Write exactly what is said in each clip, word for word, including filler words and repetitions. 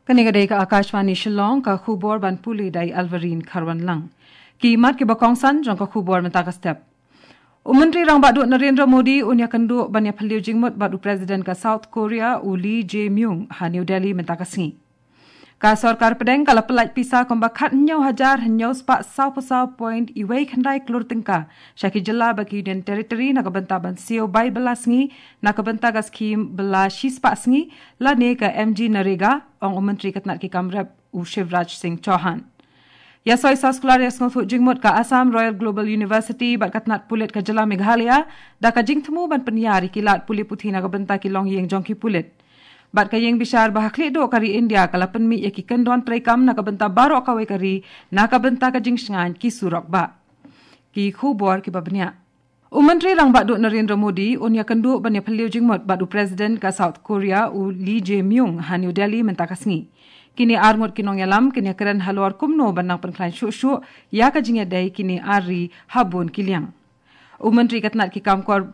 Kane ka dei ka Akashvani Shillong, ka khubor ban pule da i Alvarine Kharwanlang. Ki mat kiba kongsan jong ka khubor mynta ka step. U Myntri Rangbah Duh Narendra Modi un ïakynduh ban ïaphylliew jingmut bad u President ka South Korea, u Lee Jae-myung, ha New Delhi mynta ka sngi. Ka sorkar pdeng ka la pyllait pisa kumba khathynñiew hajar hynñiew spah sawphew saw point wei khyndai klur tyngka sha ki jylla bad ki Union Territory na ka bynta ban siew bai bylla sngi na ka bynta ka skhim bylla shispah sngi lane ka MGNREGA, ong u Myntri ka tnat ki kam rep, u Shivraj Singh Chauhan. Ïa soi soskular ïa sngewthuh jingmut ka Assam Royal Global University bad ka tnat pulit ka jylla Meghalaya da ka jingthmu ban pynïar ïa ki lad pule puthi na ka bynta ki longïing jong ki pulit. Bad ka ïing bishar ba ha khlieh duh ka ri India ka la pynmih ïa ki kyndon treikam na ka bynta baroh kawei ka ri na ka bynta ka jingshngaiñ ki surok bah. Ki khubor kiba bniah. U Myntri Rangbah Duh Narendra Modi un ïakynduh ban ïaphylliew jingmut bad u President ka South Korea, u Lee Jae-myung, ha New Delhi mynta ka sngi. Kine ar ngut ki nongïalam kin ïakren halor kumno ban nang pynkhlaiñ shuh shuh ïa ka jingïadei kine ar ri ha bun ki liang. U Myntri ka tnat ki kam kor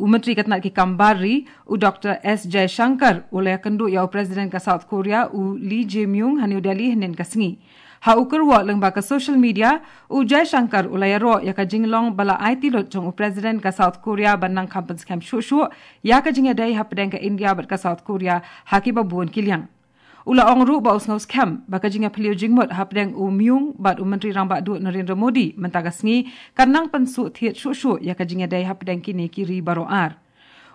U Myntri ka tnat ki kam bar ri, u Doctor S Jaishankar, u la ïakynduh ïa u President ka South Korea, u Lee Jae-myung, ha New Delhi hynnin ka sngi. Ha u kyrwoh lyngba ka social media, u Jaishankar u la ïaroh ïa ka jinglong ba la aiti lut jong u President ka South Korea ban nang kham pynskhem shuh shuh ïa ka jingïadei hapdeng ka India bad ka South Korea ha kiba bun ki liang. U la ong ruh ba u sngewskhem ba ka jingïaphylliew jingmut hapdeng u Myung bad u Myntri Rangbah Duh Narendra Modi mynta ka sngi kan nang pynsuhthied shuh shuh ïa ka jingïadei hapdeng kine ki ri baroh ar.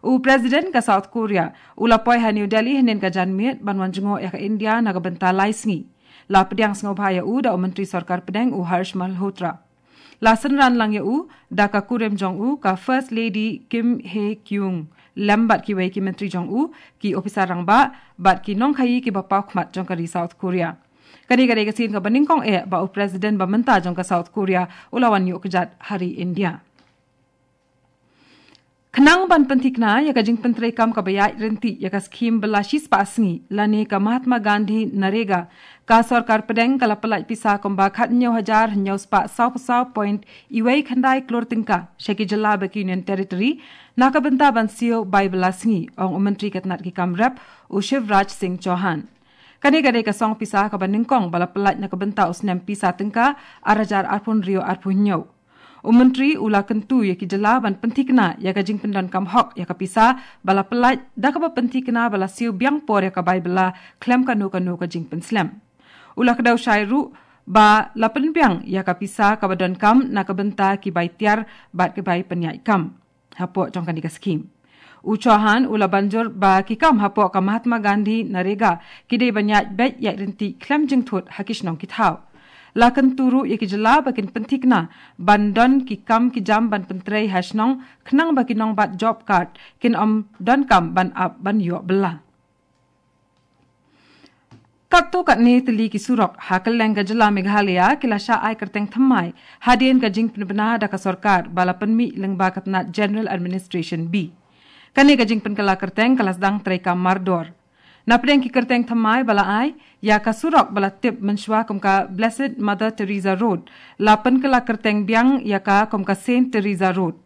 U President ka South Korea u la poi ha New Delhi hynnin ka janmiet ban wan jngoh ïa ka India na ka bynta lai sngi. La pdiang sngewbha ïa u da u Myntri Sorkar Pdeng, u Harsh Malhotra. La synran lang ïa u da ka kurim jong u, ka First Lady Kim Hye Kyung, lem bad kiwei ki myntri jong u, ki ophisar rangbah bad ki nongkhaïi kiba paw khmat jong ka ri South Korea. Kane ka dei ka sien kaba nyngkong eh ba u President ba mynta jong ka South Korea u la wan ïuh kjat ha ri India. Khnang ban pynthikna ïa ka jingpyntreikam kaba ïaid ryntih ïa ka skhim bylla shispah sngi lane ka Mahatma Gandhi NREGA, ka Sorkar Pdeng ka la pyllait pisa kumba khathynñiew hajar hynñiew spah sawphew saw point wei khyndai klur tyngka sha ki jylla bad ki Union Territory na ka bynta ban siew bai bylla sngi, ong u Myntri ka tnat ki kam rep, u Shivraj Singh Chauhan. Kane ka dei ka song pisa kaba nyngkong ba la pyllait na ka bynta u snem pisa tyngka ar hajar arphew hynriew arphew hynñiew. U Myntri u la kyntu ïa ki jylla ban pynthikna ïa ka jingpyndonkam hok ïa ka pisa ba la pyllait da kaba pynthikna ba la siew biang por ïa ka bai bylla khlem kano kano ka jingpynslem. U la kdew shai ruh ba la pynbiang ïa ka pisa kaba donkam na ka bynta ki bai tiar bad ki bai pynïaid kam hapoh jong kane ka skhim. U Chauhan u la ban jur ba ki kam hapoh ka Mahatma Gandhi NREGA ki dei ban ïaid beit ïaid ryntih khlem jingthut ha ki shnong ki thaw. La kyntu ruh ïa ki jylla ba kin pynthikna ban don ki kam ki jam ban pyntrei ha shnong khnang ba ki nongbat job card kin ym donkam ban ap ban ïoh bylla. Katto katne tylli ki surok ha kylleng ka jylla Meghalaya ki la shah ai kyrteng thymmai hadien ka jingpynbna da ka sorkar ba la pynmih lyngba ka tnat General Administration B. Kane ka jingpynkylla kyrteng ka la sdang treikam mardor. Napdeng ki kyrteng thymmai ba la ai, ïa ka surok ba la tip mynshuwa kum ka Blessed Mother Teresa Road, la pynkylla kyrteng biang ïa ka kum ka Saint Teresa Road.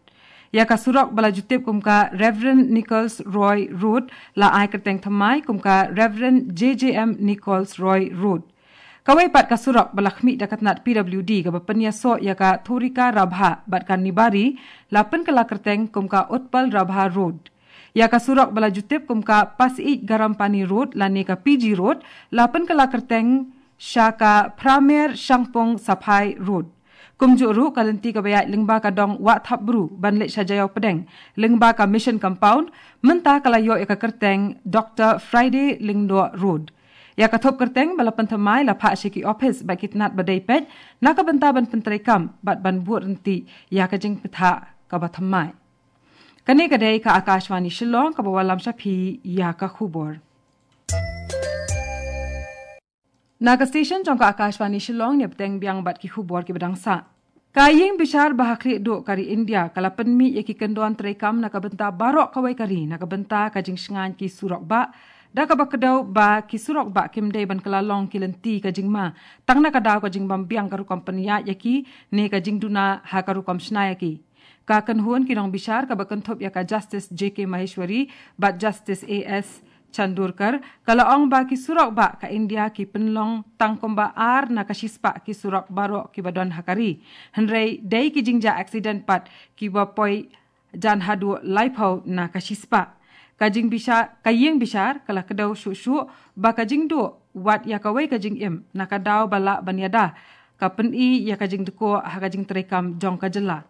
Ïa ka surok ba la ju tip kum ka Reverend Nichols Roy Road la ai kyrteng thymmai kum ka Reverend J J M Nichols Roy Road. Kawei pat ka surok ba la khmih da ka tnat P W D kaba pynïasoh ïa ka Thurika Rabha bad ka Nibari la pynkylla kyrteng kum ka Utpal Rabha Road. Ïa ka surok ba la ju tip kum ka Pasiej Garampani Road lane ka P G Road la pynkylla kyrteng sha ka Pramer Shangpung Saphai Road. Kumjuh ruh ka lynti kaba ïaid lyngba ka dong Wah Thapbru ban leit sha Jaïaw Pdeng lyngba ka Mission Compound mynta ka la ïoh ïa ka kyrteng Doctor Friday Lyngdoh Road. Ïa ka thup kyrteng ba la pynthymmai la phah sha ki ophis bad ki tnat ba dei peit na ka bynta ban pyntreikam bad ban bud ryntih ïa ka jingpynthah kaba thymmai. Kane ka dei ka Akashvani Shillong kaba wallam sha phi ïa ka khubor. Na ka station jong ka Akashvani Shillong ne bteng biang bad ki khubor kiba dang sah. Ka ïing bishar ba ha khlieh duh ka ri India ka la pynmih ïa ki kyndon treikam na ka bynta baroh kawei ka ri na ka bynta ka jingshngaiñ ki surok bah, da kaba kdew ba ki surok bah kim dei ban kylla long ki lynti ka jingma tang na ka daw ka jingbym biang ka rukom pynïaid ïa ki ne ka jingduna ha ka rukom shna ïa ki. Ka kynhun ki nongbishar kaba kynthup ïa ka Justice J K Maheshwari bad Justice A S Chandorkar ka la ong ba ki surok bah ka India ki pynlong tang kumba ar na ka shispah ki surok baroh kiba don ha ka ri. Hynrei dei ki jingjia accident pat kiba poi jan haduh laiphew na ka shispah. Ka jingbishar, ka ïing bishar ka la kdew shuh shuh ba ka jingduh wat ïa kawei ka jingim na ka daw ba lah ban ïada, ka pyni ïa ka jingdkoh ha ka jingtreikam jong ka jylla.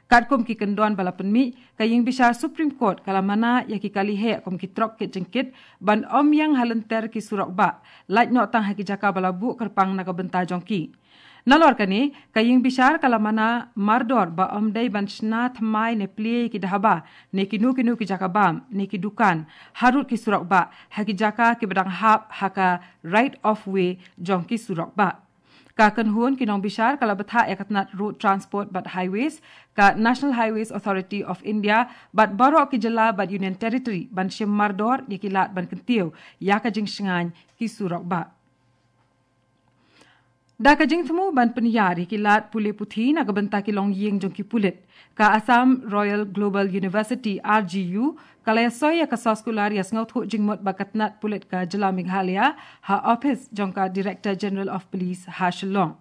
Katkum ki kyndon ba la pynmih, ka ïing bishar Supreme Court ka la mana ïa ki kali heh kum ki trok kit jingkit ban ym ïeng ha lynter ki surok bah, lait noh tang ha ki jaka ba la buh kyrpang na ka bynta jong ki. Nalor kane, ka ïing bishar ka la mana mardor ba ym dei ban shna thymmai ne plie ïa ki dhaba, ne kino kino ki jaka bam, ne ki dukan, harud ki surok bah, ha ki jaka kiba dang hap ha ka right of way jong ki surok bah. Ka kynhun ki nongbishar ka la bthah ïa ka tnat Road Transport bad Highways, ka National Highways Authority of India bad baroh ki jylla bad Union Territory ban shim mardor ïa ki lad ban kyntiew ïa ka jingshngaiñ ki surok bah. Da ka jingthmu ban pynïar ïa ki lad pule puthi na ka bynta ki longïing jong ki pulit, ka Assam Royal Global University, R G U, ka la ïasoi ïa ka soskular ïa sngewthuh jingmut bad ka tnat pulit ka jylla Meghalaya ha ophis jong ka Director General of Police ha Shillong.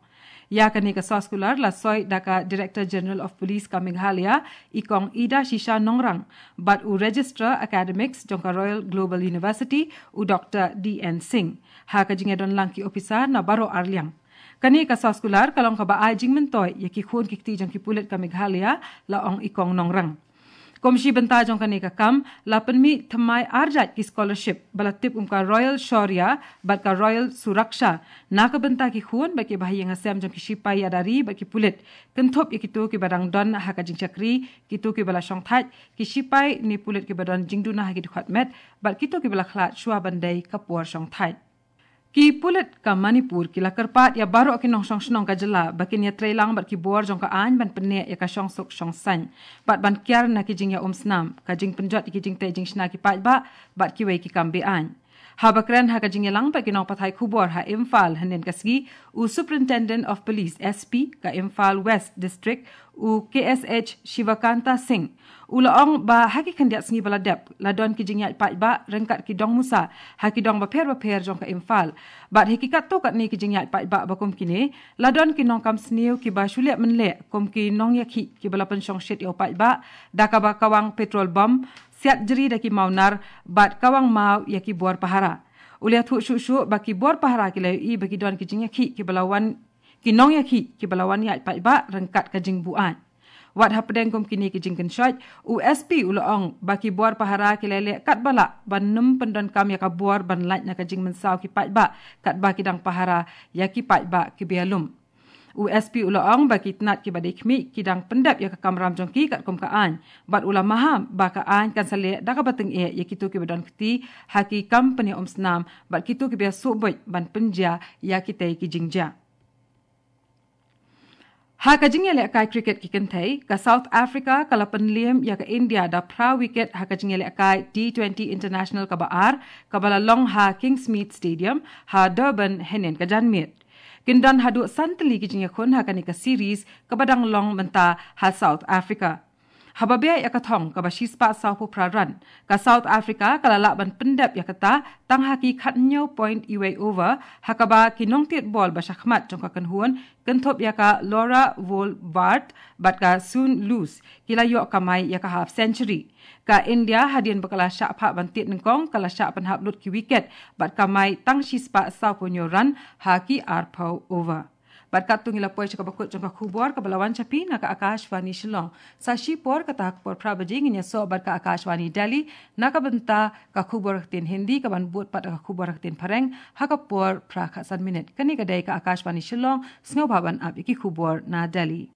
Ïa kane ka soskular la soi da ka Director General of Police ka Meghalaya, i Kong Ida Shisha Nongrang, bad u Registrar Academics jong ka Royal Global University, u Doktor D N Singh, ha ka jingïadon lang ki ophisar na baroh arliang. Kane ka soskular ka long kaba ai jingmyntoi ïa ki khun ki kti jong ki pulit ka Meghalaya, la ong i Kong Nongrang. Kum shi bynta jong kane ka kam, la pynmih thymmai ar jait ki scholarship ba la tip kum ka Royal Shaurya bad ka Royal Suraksha na ka bynta ki khun bad kiba ha ïing ha sem jong ki shipai ïada ri bad ki pulit, kynthup ïa kito kiba dang don ha ka jingshakri, kito kiba la shongthait, ki shipai ne pulit kiba don jingduna ha ki dkhot met, bad kito kiba la khlad shuwa ban dei ka por shongthait. Ki pulit ka Manipur ki la kyrpad ïa baroh ki nongshong shnong ka jylla ba kin ïatreilang bad ki bor jong ka aiñ ban pynneh ïa ka shongsuk shongsaiñ bad ban kiar na ki jingïaumsnam, ka jingpynjot ïa ki jingtei jingshna ki paidbah bad kiwei ki kam be-aiñ. Haba kren ha ka jingïalang bad ki nongpathai khubor ha Imphal hynnin ka sngi, u Superintendent of Police, S P, ka Imphal West District, u K S H Shivakanta Singh, u la ong ba ha ki khyndiat sngi ba la dep, la don ki jingïaid paidbah ryngkat ki dong musa ha ki dong bapher bapher jong ka Imphal. Bad ha ki katto katne ki jingïaid paidbah ba kum kine, la don ki nongkam sniew kiba shu leh mynleh kum ki nongïakhih kiba la pynshongshit ïa u paidbah da kaba kawang petrol bomb, siat jri da ki mawnar bad kawang maw ïa ki bor pahara. U la ïathuh shuh shuh ba ki bor pahara ki la ïohi ba ki don ki jingïakhih kiba la wan, ki nongïakhih kiba la wan ïaid paidbah ryngkat ka jingbuaid. Wat hapdeng kum kine ki jingkynshoit, u S P u la ong ba ki bor pahara ki la leh katba lah ban nym pyndonkam ïa ka bor ban lait na ka jingmynsaw ki paidbah katba ki dang pahara ïa ki paidbah kiba ïalum. U S P u la ong ba ki tnat kiba dei khmih ki dang pyndep ïa ka kamram jong ki katkum ka aiñ, bad u la maham ba ka aiñ kan sa leh da kaba tyngeh ïa kito kiba don kti ha ki kam pynïaumsnam bad kito kiba ïasuh buit ban pynjia ïa kitei ki jingjia. Ha ka jingïalehkai cricket ki kynthei, ka South Africa ka la pynliem ïa ka India da phra wicket ha ka jingïalehkai T twenty International kaba ar, kaba la long ha Kingsmead Stadium, ha Durban, hynnin ka janmiet. Kin don haduh san tylli ki jingïakhun ha kane ka series kaba dang long mynta ha South Africa. Haba beh ïa ka thong kaba shispah sawphew phra run, ka South Africa ka la lah ban pyndep ïa kata tang ha ki khathynñiew point iwei over, ha kaba ki nongtied bol ba shakhmat jong ka kynhun, kynthup ïa ka Laura Vollwarth bad ka Sun Loose, ki la ïoh kamai ïa ka half century. Ka India, hadien ba ka la shah phah ban tied nyngkong, ka la shah pynhap lut ki wicket bad kamai tang shispah sawphew hynñiew run ha ki arphew over. Bad katto ngi la poi sha kaba kut jong ka khubor kaba la wan sha phi na ka Akashvani Shillong. Sa shipor kata ha ka por phra baje ngin ïasoh bad ka Akashvani Delhi na ka bynta ka khubor ha ka ktien Hindi, kaban bud pat ka khubor ha ka ktien Phareng ha ka por phra khatsan minit. Kane ka dei ka Akashvani Shillong, sngewbha ban ap ïa ki khubor na Delhi.